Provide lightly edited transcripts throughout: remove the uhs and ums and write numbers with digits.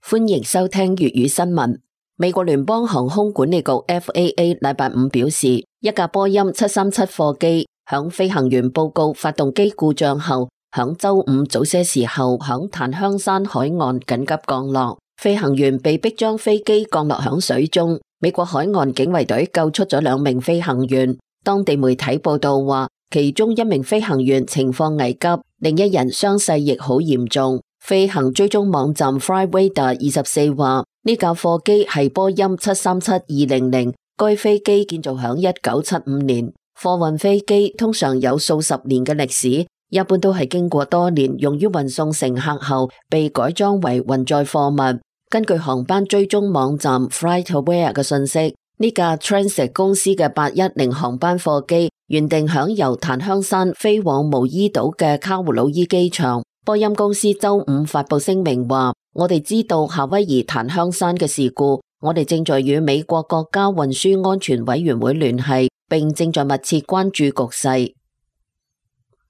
歡迎收聽粵語新聞。美國聯邦航空管理局 FAA 禮拜五表示，一架波音737貨機響飛行員報告發動機故障後，響周五早些時候響檀香山海岸緊急降落，飛行員被迫將飛機降落響水中。美國海岸警衛隊救出咗2名飛行員。當地媒體報道話，其中1名飛行員情況危急，另一人傷勢亦好嚴重。飛行追蹤網站 Flightradar 24話，呢架貨機係波音737-200，該飛機建造響1975年。貨運飛機通常有數十年嘅歷史，一般都係經過多年用於運送乘客後，被改裝為運載貨物。根據航班追蹤網站 FlightAware 嘅信息，呢架 Transit 公司嘅810航班貨機原定響由檀香山飛往毛伊島嘅卡胡魯伊機場。波音公司周五發佈聲明話，我哋知道夏威夷檀香山嘅事故，我哋正在與美國國家運輸安全委員會聯繫，並正在密切關注局勢。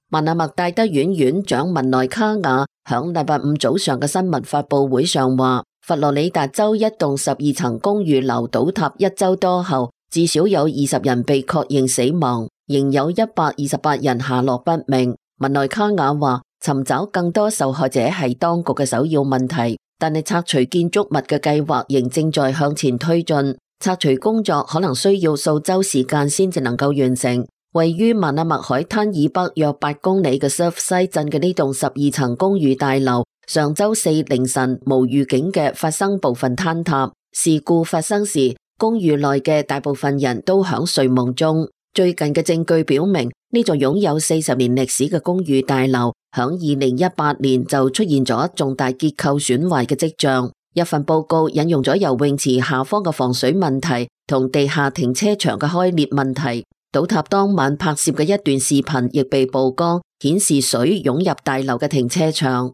曼阿默戴德院院長文萊卡瓦響禮拜五早上嘅新聞發佈會上話，佛羅里達州一棟12層公寓樓倒塌1周多後，至少有20人被確認死亡，仍有128人下落不明。文萊卡瓦話，尋找更多受害者係當局嘅首要問題，但係拆除建築物嘅計劃仍正在向前推進。拆除工作可能需要數周時間先至能夠完成。位於曼阿默海灘以北約8公里嘅 Surfside 鎮嘅呢棟12層公寓大樓，上周4凌晨無預警嘅發生部分坍塌。事故發生時，公寓內嘅大部分人都響睡夢中。最近嘅證據表明，呢座擁有40年歷史嘅公寓大樓響2018年就出現咗重大結構損壞嘅跡象。一份報告引用咗游泳池下方嘅防水問題同地下停車場嘅開裂問題。倒塌當晚拍攝嘅一段視頻亦被曝光，顯示水湧入大樓嘅停車場。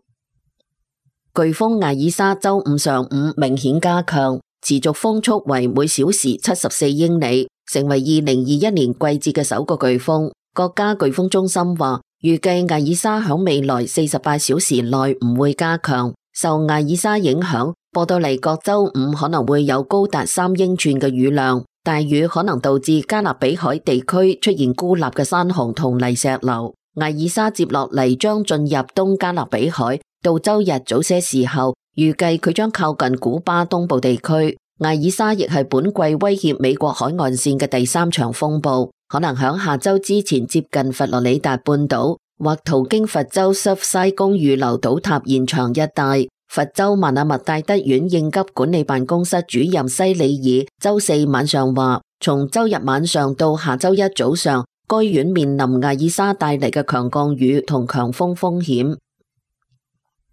颶風艾爾莎周五上午明顯加強，持續風速為每小時74英里，成為2021年季節嘅首個颶風。國家颶風中心話，預計艾爾莎響未來48小時內唔會加強。受艾爾莎影響，波多黎各周五可能會有高達3英寸嘅雨量，大雨可能導致加勒比海地區出現孤立嘅山洪同泥石流。艾爾莎接落嚟將進入東加勒比海，到周日早些時候，預計佢將靠近古巴東部地區。艾爾莎亦係本季威脅美國海岸線嘅第3場風暴，可能響下周之前接近佛羅里達半島，或途經佛州 Surfside 公寓樓倒塌現場一帶。佛州曼阿默戴德縣應急管理辦公室主任西里爾周4晚上話，從周日晚上到下周一早上，該縣面臨艾爾莎帶嚟嘅強降雨同強風風險。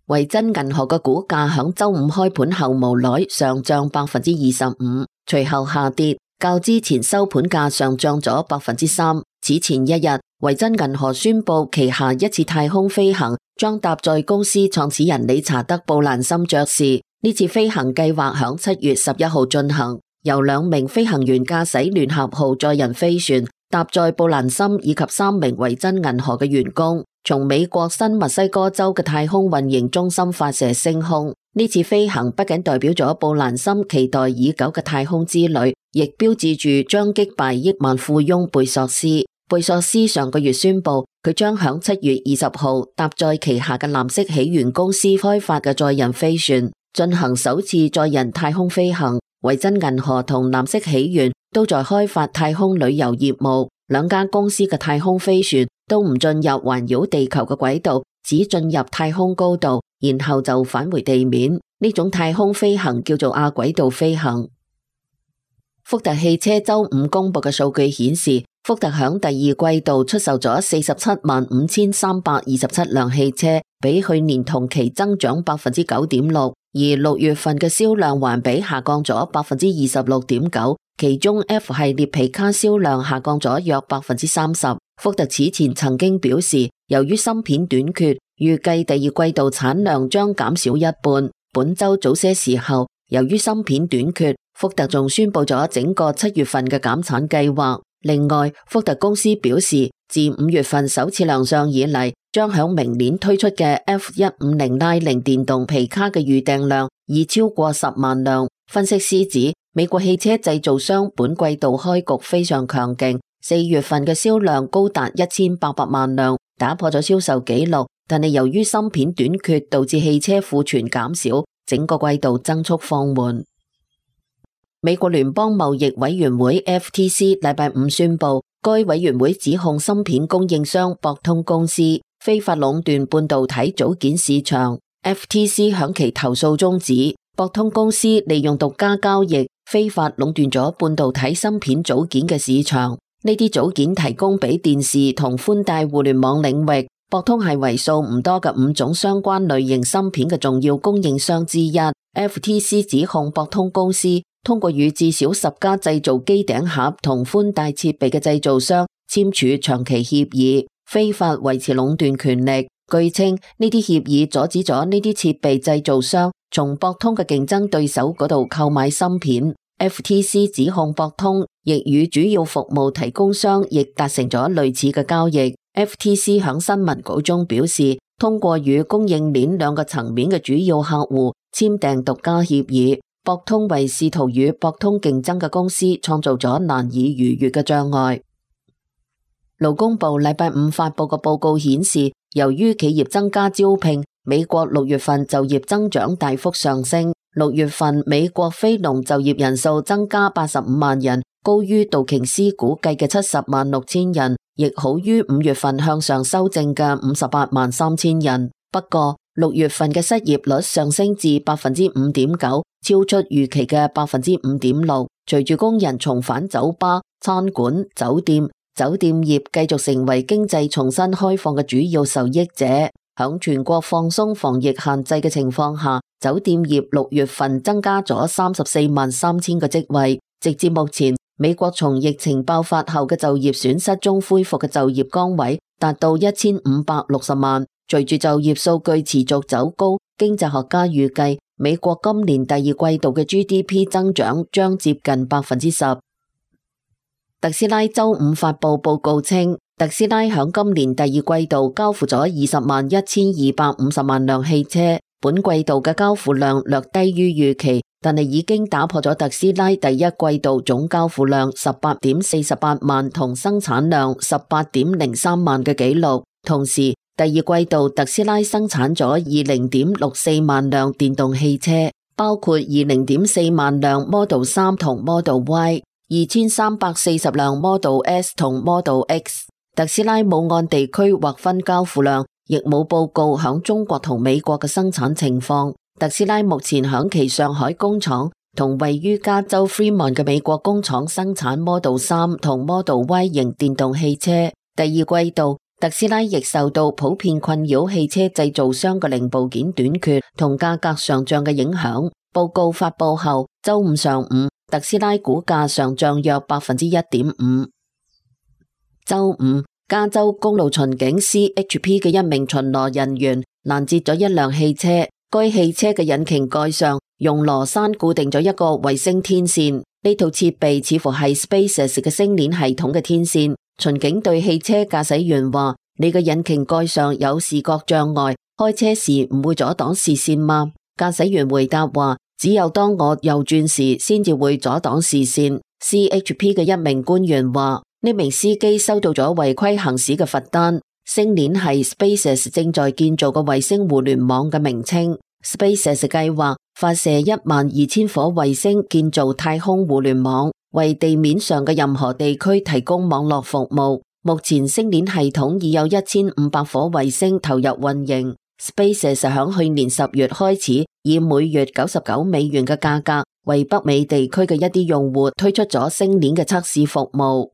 維珍銀河嘅股價響周五開盤後無奈上漲25%，隨後下跌，較之前收盤價上漲咗3%。此前一日，維珍銀河宣布旗下一次太空飛行將搭載公司創始人理查德·布蘭森爵士。呢次飛行計劃響7月11號進行，由2名飛行員駕駛聯合號載人飛船，搭載布蘭森以及3名維珍銀河嘅員工，從美國新墨西哥州嘅太空運營中心發射升空。呢次飛行不僅代表咗布蘭森期待已久嘅太空之旅，亦標誌住將擊敗億萬富翁貝索斯。貝索斯上個月宣布，佢將響7月20號搭載旗下嘅藍色起源公司開發嘅載人飛船，進行首次載人太空飛行。維珍銀河同藍色起源都在開發太空旅遊業務，兩家公司嘅太空飛船都唔進入環繞地球嘅軌道，只進入太空高度，然後就返回地面。呢種太空飛行叫做亞軌道飛行。福特汽車周五公布嘅數據顯示，福特響第二季度出售咗475,327輛汽車，比去年同期增長 9.6%， 而6月份嘅銷量環比下降咗 26.9%， 其中 F 系列皮卡銷量下降咗約 30%。福特此前曾經表示，由於芯片短缺，預計第二季度產量將減少一半。本周早些時候，由於芯片短缺，福特仲宣布咗整個7月份嘅減產計劃。另外，福特公司表示，自5月份首次亮相以嚟，將響明年推出嘅 F150 拉寧電動皮卡嘅預訂量已超過10萬輛。分析師指，美國汽車製造商本季度開局非常強勁，4月份嘅銷量高達1800萬輛，打破咗銷售紀錄。但係由於芯片短缺，導致汽車庫存減少，整個季度增速放緩。美國聯邦貿易委員會 FTC 禮拜五宣布，該委員會指控芯片供應商博通公司非法壟斷半導體組件市場。FTC 響其投訴中指，博通公司利用獨家交易非法壟斷咗半導體芯片組件嘅市場。呢啲組件提供俾電視同寬帶互聯網領域，博通係為數唔多嘅5種相關類型芯片嘅重要供應商之一。FTC 指控博通公司通過與至少10家製造機頂盒同寬帶設備嘅製造商簽署長期協議，非法維持壟斷權力。據稱，呢啲協議阻止咗呢啲設備製造商從博通嘅競爭對手嗰度購買芯片。FTC 指控博通亦與主要服務提供商亦達成咗類似嘅交易。FTC 響新聞稿中表示，通過與供應鏈兩個層面嘅主要客戶簽訂獨家協議，博通為試圖與博通競爭嘅公司創造咗難以逾越嘅障礙。勞工部禮拜五發佈嘅報告顯示，由於企業增加招聘，美國6月份就業增長大幅上升。6月份美國非農就業人數增加85萬人，高於道瓊斯估計嘅70萬6千人，亦好於5月份向上修正嘅58萬3千人。不過6月份嘅失業率上升至 5.9%， 超出預期嘅 5.6%。隨住工人重返酒吧、餐館、酒店業繼續成為經濟重新開放嘅主要受益者。響全國放鬆防疫限制嘅情況下，酒店業6月份增加咗34萬3千個職位。直至目前，美國從疫情爆發後嘅就業損失中恢復嘅就業崗位達到1560萬。隨住就業數據持續走高，經濟學家預計美國今年第二季度嘅 GDP 增長將接近 10%。特斯拉周五發佈報告稱，特斯拉響今年第二季度交付咗201250萬輛汽車，本季度嘅交付量略低於預期，但係已經打破咗特斯拉第一季度總交付量18.48萬同生產量18.03萬嘅紀錄。同時，第二季度特斯拉生產咗20.64萬輛電動汽車，包括20.4萬輛 Model 3同 Model Y、2340輛 Model S 同 Model X。特斯拉冇按地區劃分交付量，亦冇報告響中國同美國嘅生產情況。特斯拉目前響其上海工廠同位於加州 Fremont 嘅美國工廠生產 Model 3同 Model Y 型電動汽車。第二季度，特斯拉亦受到普遍困擾汽車製造商嘅零部件短缺同價格上漲嘅影響。報告發佈後，周五上午，特斯拉股價上漲約 1.5%。周五，加州公路巡警 CHP 嘅一名巡邏人員攔截咗一輛汽車，該汽車嘅引擎蓋上用螺栓固定咗一個衛星天線，呢套設備似乎係 SpaceX 嘅星鏈系統嘅天線。巡警對汽車駕駛員話：你嘅引擎蓋上有視覺障礙，開車時唔會阻擋視線嗎？駕駛員回答話：只有當我右轉時先至會阻擋視線。CHP 嘅一名官員話：呢名司機收到咗違規行駛嘅罰單。星鏈係 SpaceX 正在建造嘅衛星互聯網嘅名稱。SpaceX 計劃發射12000顆衛星建造太空互聯網，為地面上嘅任何地區提供網絡服務。目前星鏈系統已有1500顆衛星投入運營。SpaceX 響去年10月開始以每月99美元嘅價格為北美地區嘅一啲用戶推出咗星鏈嘅測試服務。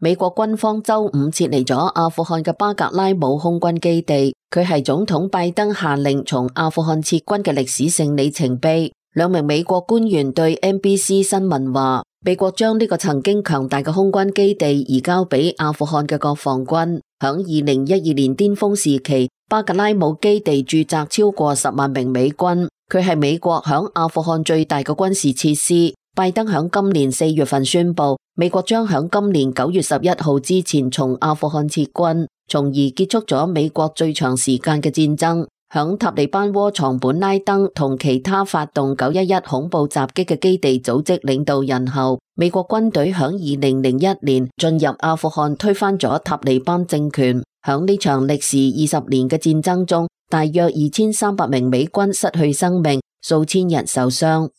美國軍方周五撤離咗阿富汗嘅巴格拉姆空軍基地，佢係總統拜登下令從阿富汗撤軍嘅歷史性里程碑。兩名美國官員對 NBC 新聞話，美國將呢個曾經強大嘅空軍基地移交俾阿富汗嘅國防軍。響2012年巔峰時期，巴格拉姆基地駐紮超過10萬名美軍，佢係美國響阿富汗最大嘅軍事設施。拜登響今年4月份宣布，美國將響今年9月11號之前從阿富汗撤軍，從而結束咗美國最長時間嘅戰爭。響塔利班窩藏本拉登同其他發動911恐怖襲擊嘅基地組織領導人後，美國軍隊響2001年進入阿富汗推翻咗塔利班政權。響呢場歷時20年嘅戰爭中，大約2300名美軍失去生命，數千人受傷。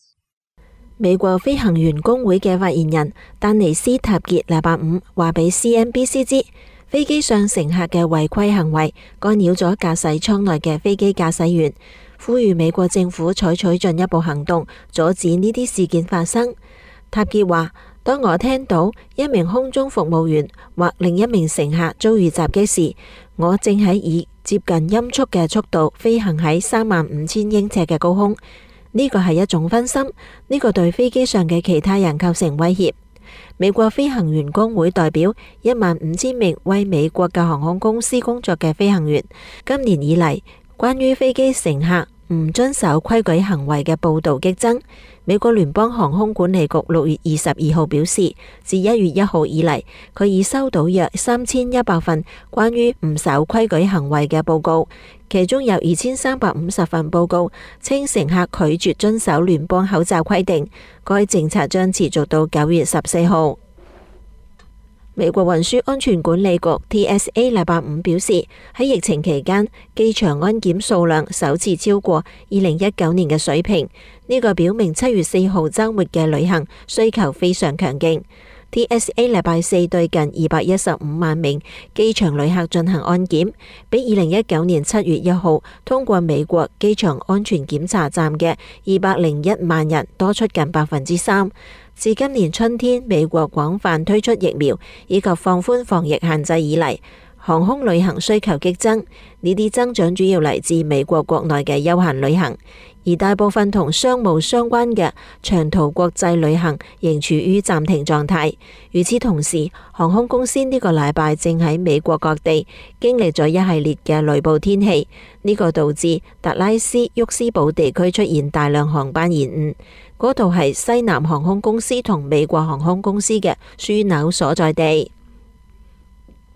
美國飛行員工會嘅發言人丹尼斯塔傑禮拜五話俾 CNBC 知，飛機上乘客嘅違規行為干擾咗駕駛艙內嘅飛機駕駛員，呼籲美國政府採取進一步行動，阻止呢啲事件發生。塔傑話：當我聽到一名空中服務員或另一名乘客遭遇襲擊時，我正喺以接近音速嘅速度飛行喺35000英尺嘅高空。呢個係一種分心，呢個對飛機上嘅其他人構成威脅。美國飛行員工會代表15000名為美國嘅航空公司工作嘅飛行員，今年以嚟關於飛機乘客唔遵守規矩行為嘅報道激增。美國聯邦航空管理局6月22號表示，自1月1號以嚟，佢已收到約3100份關於唔守規矩行為嘅報告，其中有2350份報告稱乘客拒絕遵守聯邦口罩規定。該政策將持續到9月14號。美國運輸安全管理局 TSA 禮拜五表示，喺疫情期間，機場安檢數量首次超過2019年嘅水平。呢個表明7月4號週末嘅旅行需求非常強勁。TSA 禮拜四對近215萬名機場旅客進行安檢，比2019年7月1號通過美國機場安全檢查站嘅201萬人多出近3%。自今年春天美國廣泛推出疫苗以及放寬防疫限制以嚟，航空旅行需求激增。呢啲增長主要嚟自美國國內嘅休閒旅行，而大部分同商務相關嘅長途國際旅行仍處於暫停狀態。與此同時，航空公司呢個禮拜正喺美國各地經歷咗一系列嘅雷暴天氣，呢個導致達拉斯沃斯堡地區出現大量航班延誤。嗰度係西南航空公司同美國航空公司嘅樞紐所在地。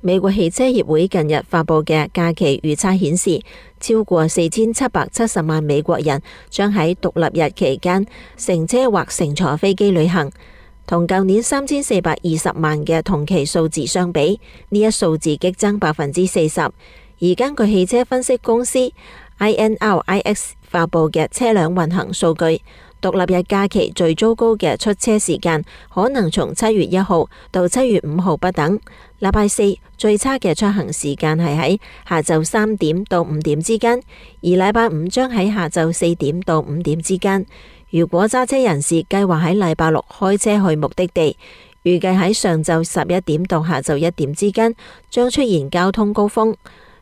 美國汽車協會近日發佈嘅假期預測顯示，超過4770萬美國人將喺獨立日期間乘車或乘坐飛機旅行，同舊年3420萬嘅同期數字相比，呢一數字激增40%。而根據汽車分析公司 INRIX 發佈嘅車輛運行數據，獨立日假期最糟糕嘅出車時間可能從7月1號到7月5號不等。禮拜四最差嘅出行時間係喺下晝3點到5點之間，而禮拜五將喺下晝4點到5點之間。如果揸車人士計劃喺禮拜六開車去目的地，預計喺上晝11點到下晝1點之間將出現交通高峰。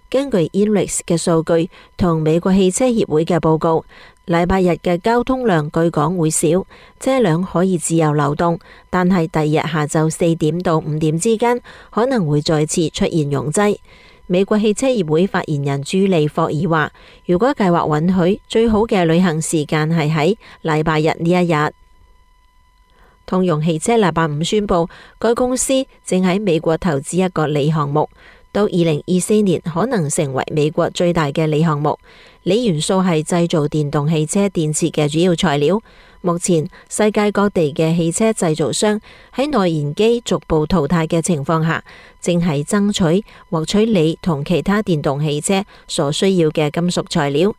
根據 INRIX 嘅數據同美國汽車協會嘅報告，禮拜日嘅交通量據講會少，車輛可以自由流動，但係第二日下晝4點到5點之間可能會再次出現擁擠。美國汽車協會發言人朱利霍爾話，如果計劃允許，最好嘅旅行時間係喺禮拜日呢一日。通用汽車禮拜五宣布，該公司正喺美國投資一個鋰項目，到2024年可能成為美國最大嘅鋰項目。鋰元素係製造電動汽車電池嘅主要材料。目前世界各地嘅汽車製造商喺內燃機逐步淘汰嘅情況下，正係爭取獲取鋰同其他電動汽車所需要嘅金屬材料。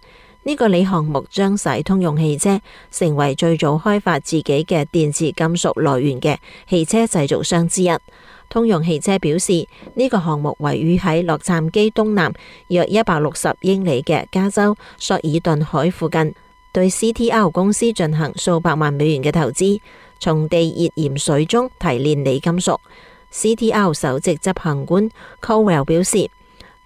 呢個鋰項目將使通用汽車成為最早開發自己嘅電池金屬來源嘅汽車製造商之一。通用汽車表示，呢個項目位於喺洛杉磯東南約160英里嘅加州索爾頓海附近，對 CTR 公司進行數百萬美元嘅投資，從地熱鹽水中提煉鋰金屬。CTR 首席執行官 Cowell 表示，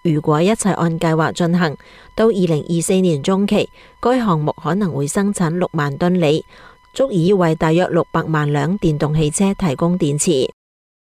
如果一切按計劃進行，到2024年中期，該項目可能會生產6萬噸鋰，足以為大約600萬輛電動汽車提供電池。